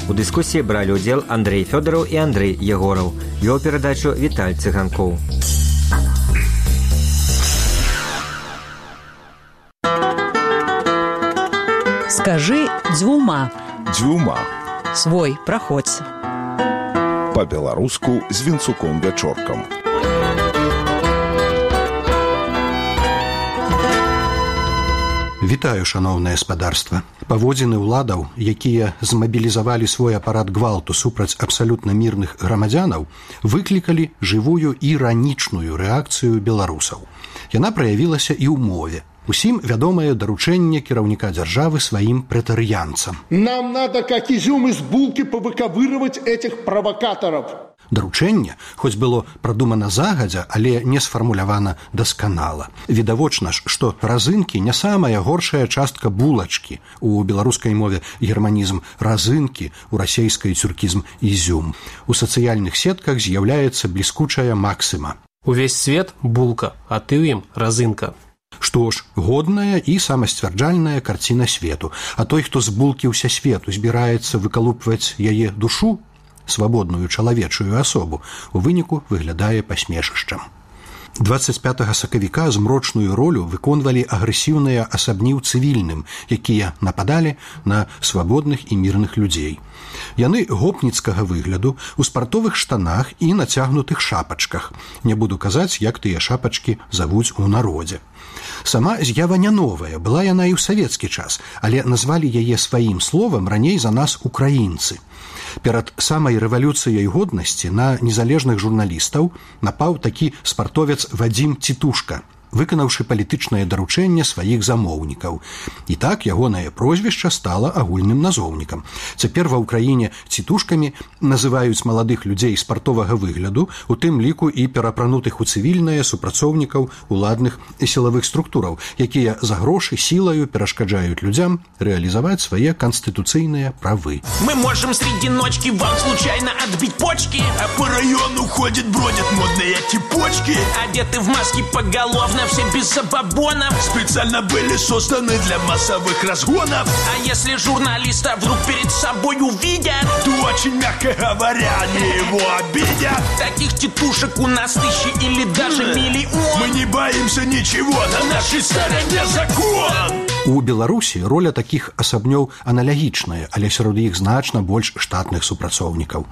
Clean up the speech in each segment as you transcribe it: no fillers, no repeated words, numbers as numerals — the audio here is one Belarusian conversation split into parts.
У дыскусіі бралі ўдзел Андрэй Фёдараў і Андрэй Егораў. Вёў перадачу Віталь Цыганкоў. Скажи дзвюма. Дзвюма. Свой, праходзь. Па-беларуску з Вінцуком-Вячоркам. Вітаю, шаноўнае спадарства. Паводзіны ўладаў, якія змабілізавалі свой апарат гвалту супраць абсалютна мірных грамадзянаў, выклікалі жывую іранічную рэакцыю беларусаў. Яна праявілася і ў мове. Усім вядомае даручэнне кіраўніка дзяржавы сваім прэтарыянцам. Нам надо, как изюм из булки, повыковыривать этих провокаторов. Даручэнне, хоць было прадумана загадзя, але не сфармулявана дасканала. Відавочна ж, што разынкі не самая горшая частка булачкі. У беларускай мове германізм разынкі, у расейскай цюркізм ізюм. У сацыяльных сетках з'яўляецца бліскучая максіма. Увесь свет – булка, а ты ў ім – разынка. Што ж, годная і самасцвярджальная карціна свету. А той, хто з булкі ўся свету збіраецца выкалупваць яе душу, свабодную чалавечую асобу, у выніку выглядае пасмешышчам. 25 сакавіка змрочную ролю выконвалі агрэсіўныя асабні ў цывільным, якія нападалі на свабодных і мірных людзей. Яны гопніцкага выгляду, у спартовых штанах і нацягнутых шапачках. Не буду казаць, як тыя шапачкі завуць у народзе. Сама з'ява не новая, была яна і ў савецкі час, але назвалі яе сваім словам раней за нас украінцы. Перад самай рэвалюцыяй годнасці на незалежных журналістаў напаў такі спартовец Вадзім Цітушка, выканаўшы палітычнае даручэнне сваіх замоўнікаў. І так ягонае прозвішча стала агульным назоўнікам. Цяпер ва ўкраіне цітушкамі называюць маладых людзей спартовага выгляду, у тым ліку і перапранутых у цывільнае супрацоўнікаў уладных і сілавых структураў, якія за грошы сілаю перашкаджаюць людзям рэалізаваць свае канстытуцыйныя правы. Мы можем среди ночки вам случайно отбить почки, а по району ходят, бродят модные типочки, одеты в маски поголовно, все без забабонов, специально были созданы для массовых разгонов. А если журналиста вдруг перед собой увидят, то очень, мягко говоря, они его обидят. Таких тетушек у нас тысячи или даже миллион. Мы не боимся ничего, на нашей стороне закон. У Беларусі роля такіх асабнёў аналагічная, але сярод іх значна больш штатных супрацоўнікаў.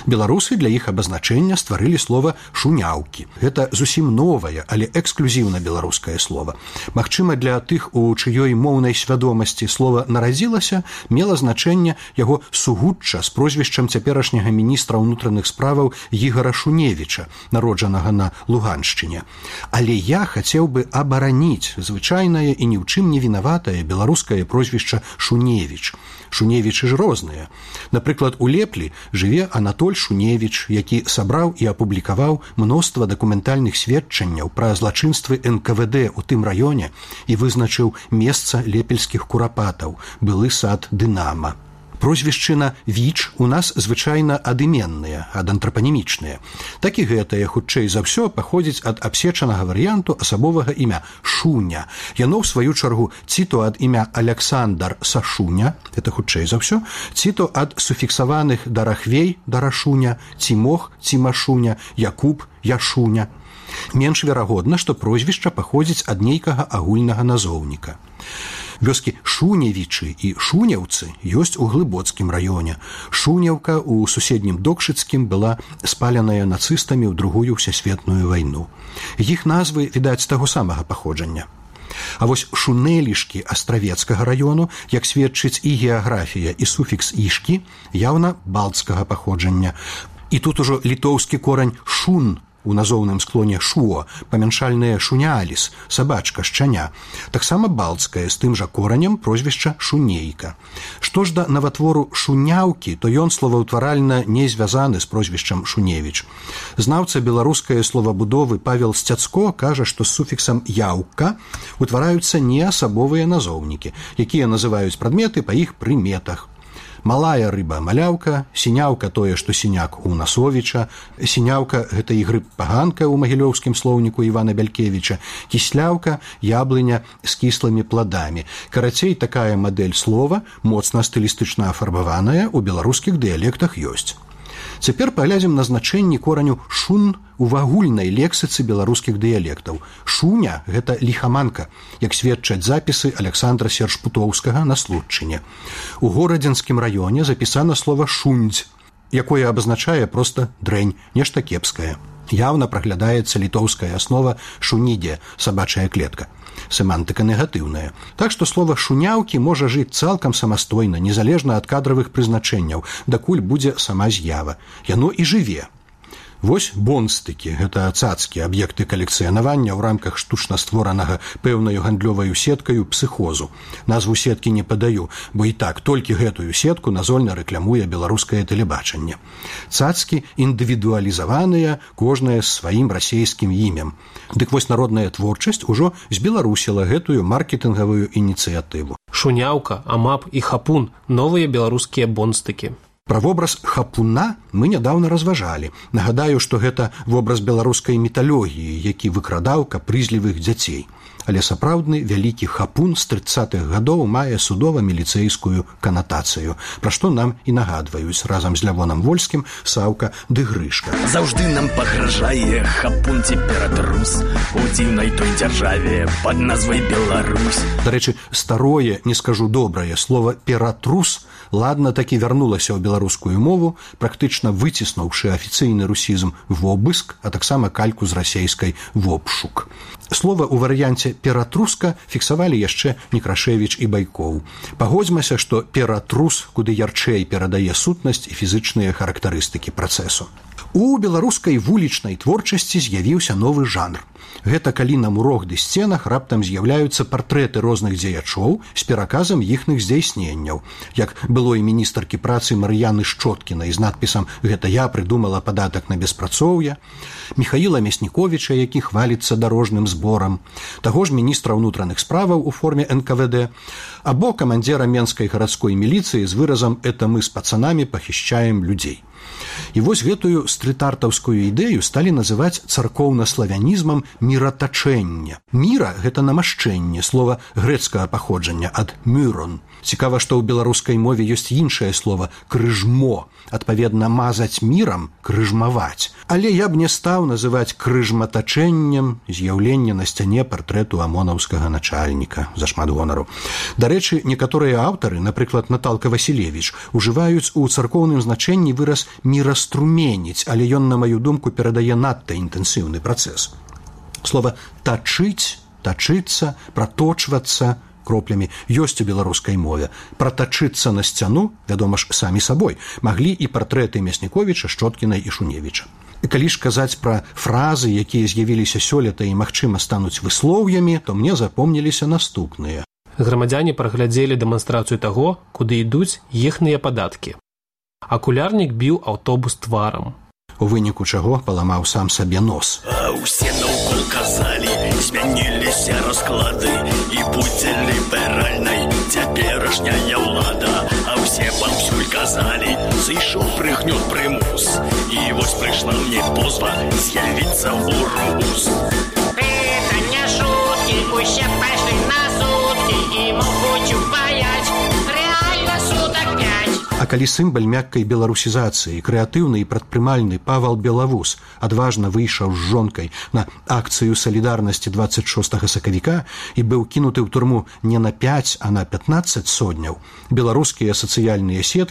Беларусы для іх абазначэння стварылі слова «шуняўкі». Гэта зусім новае, але эксклюзіўна беларускае слова. Магчыма, для тых, у чыёй моўнай свядомасці слова нарадзілася, мела значэнне яго сугучча з прозвішчам цяперашняга міністра ўнутраных справаў Ігара Шуневіча, народжанага на Луганшчыне. Але я хацеў бы абараніць звычайнае і ні ў чым не вінаватае беларускае прозвішча Шуневіч. Шуневічы ж розныя. Напрыклад, у Леплі жыве Анатоль Шуневіч, які сабраў і апублікаваў мноства дакументальных сведчанняў пра злачынствы НКВД у тым раёне і вызначыў месца лепельскіх курапатаў, былы сад Дынама. Прозвішчына «Віч» у нас звычайна адыменныя, адантрапанімічныя. Так і гэтае, хутчэй за ўсё, паходзіць ад абсечанага варыянту асабовага імя Шуня. Яно, ў сваю чаргу, ці то ад імя Аляксандар Сашуня, это хутчэй за ўсё, ці то ад суфіксаваных Дарахвей Дарашуня, Цімох Цімашуня, Якуб Яшуня. Менш верагодна, што прозвішча паходзіць ад нейкага агульнага назоўніка. Вёскі Шуневічы і Шуняўцы ёсць у Глыбоцкім раёне. Шуняўка ў суседнім Докшыцкім была спаленая нацыстамі ў Другую всесветную вайну. Іх назвы, відаць, таго самага паходжання. А вось Шунелішкі Астравецкага раёну, як сведчыць і геаграфія, і суфікс «ішкі», яўна балцкага паходжання. І тут ужо літоўскі корань «шун» у назоўным склоне «шуо», памяншальнае «шуняаліс», сабачка, шчаня. Таксама балцкае, з тым жа коранем прозвішча «шунейка». Што ж да наватвору «шуняўкі», то ён словаўтваральна не звязаны з прозвішчам «Шуневіч». Знаўца беларускай словабудовы Павел Сцяцко кажа, што з суфіксам «яўка» утвараюцца неасабовыя назоўнікі, якія называюць прадметы па іх прыметах. Малая рыба маляўка, сіняўка тое, што сіняк у Насовіча, сіняўка гэта і грыб паганка ў магілёўскім слоўніку Івана Бялькевіча, кісляўка яблыня з кіслымі пладамі. Карацей, такая мадэль слова, моцна стылістычна афарбаваная, у беларускіх дыялектах ёсць. Цяпер паглядзім на значэнні кораню «шун» у агульнай лексіцы беларускіх дыялектаў. Шуня – гэта ліхаманка, як сведчаць запісы Александра Сершпутоўскага на Случчыне. У Горадзенскім раёне запісана слова «шундзь», якое абазначае проста дрэнь, нешта кепскае. Яўна праглядаецца літоўская аснова «шунідзе» – сабачая клетка. Семантыка негатыўная. Так што слова «шуняўкі» можа жыць цалкам самастойна, незалежна ад кадравых прызначэнняў, дакуль будзе сама з'ява. Яно і жыве. Вось бонстыкі – гэта цацкі, аб'екты калекцыянавання ў рамках штучна створанага пэўнаю гандлёваю сеткаю псыхозу. Назву сеткі не падаю, бо і так толькі гэтую сетку назольна рэкламуе беларускае тэлебачанне. Цацкі індывідуалізаваныя, кожная з сваім расейскім імем. Дык вось народная творчасць ужо збеларусіла гэтую маркетынгавую ініцыятыву. Шуняўка, амап і хапун – новыя беларускія бонстыкі. Пра вобраз хапуна мы нядаўна разважалі. Нагадаю, што гэта вобраз беларускай міталогіі, які выкрадаў капрызлівых дзяцей. Але сапраўдны вялікі хапун з 30-х гадоў мае судова-міліцэйскую канатацыю, пра што нам і нагадваюць разам з Лявонам Вольскім Саўка ды Грышка. Заўжды нам пагражае хапун цеператрус у дзіўнай той дзяржаве пад назвай Беларусь. Дарэчы, старое, не скажу добрае, слова «ператрус» ладна такі вярнулася ў беларускую мову, практычна выціснуўшы афіцыйны русізм «вобыск», а таксама кальку з расейскай «вобшук». Слова ў варыянце «ператруска» фіксавалі яшчэ Некрашевіч і Байкоў. Пагодзьмася, што «ператрус» куды ярчэй перадае сутнасць і фізычныя характарыстыкі працэсу. У беларускай вулічнай творчасці з'явіўся новы жанр. Гэта калі на мурах ды сценах раптам з'яўляюцца партрэты розных дзеячоў з пераказам іхных здзяйсненняў, як былой міністаркі працы Мар'яны Шчоткінай з надпісам «Гэта я прыдумала падатак на беспрацоўе», Міхаіла Мясніковіча, які хваліцца дарожным зборам, таго ж міністра ўнутраных справаў у форме НКВД, або камандзіра менскай гарадской міліцыі з выразам «Это мы з пацанамі пахішчаем людзей». І вось гэтую стрыт-артаўскую ідэю сталі называць царкоўна-славянізмам міратачэння. Міра – гэта намашчэнне, слова грэцкага паходжання ад «мюрон». Цікава, што ў беларускай мове ёсць іншае слова «крыжмо», адпаведна мазаць мірам – крыжмаваць. Але я б не стаў называць крыжматачэннем з'яўленне на сцяне партрэту амонаўскага начальніка, зашмат гонару. Дарэчы, некаторыя аўтары, напрыклад, Наталка Васілевіч, ужываюць у царкоўным значэнні выраз «міраструменіць», але ён, на маю думку, перадае надта інтэнсіўны працэс. Слова «тачыць», «тачыцца», «праточвацца» кроплямі ёсць у беларускай мове. Пратачыцца на сцяну, вядома ж, самі сабой, маглі і партрэты Мясніковіча, Шчоткінай і Шуневіча. Калі ж казаць пра фразы, якія з'явіліся сёлета і, магчыма, стануць выслоўямі, то мне запомніліся наступныя. Грамадзяне праглядзелі дэманстрацыю таго, куды ідуць іхныя падаткі. Акулярнік біў аўтобус тварам. У выніку чаго паламаў сам сабе нос. А ўсе наўкол казалі, змяніліся расклады, і будзе ліберальнай цяперашняя ўлада. А ўсе паўсюль казалі, зайшоў прыгнёт прымус. І вось прыйшла мне позва з'явіцца ў рус. Это не шуткі, усе пайшлі на суткі і могуць упаяць. Рэальна сутак 5. А калі сімбаль мяккай беларусізацыі, крэатыўны і прадпрымальны Павал Белавус адважна выйшаў з жонкай на акцыю салідарнасці 26 сакавіка і быў кінуты ў турму не на 5, а на 15 сотняў, беларускія сацыяльныя сеткі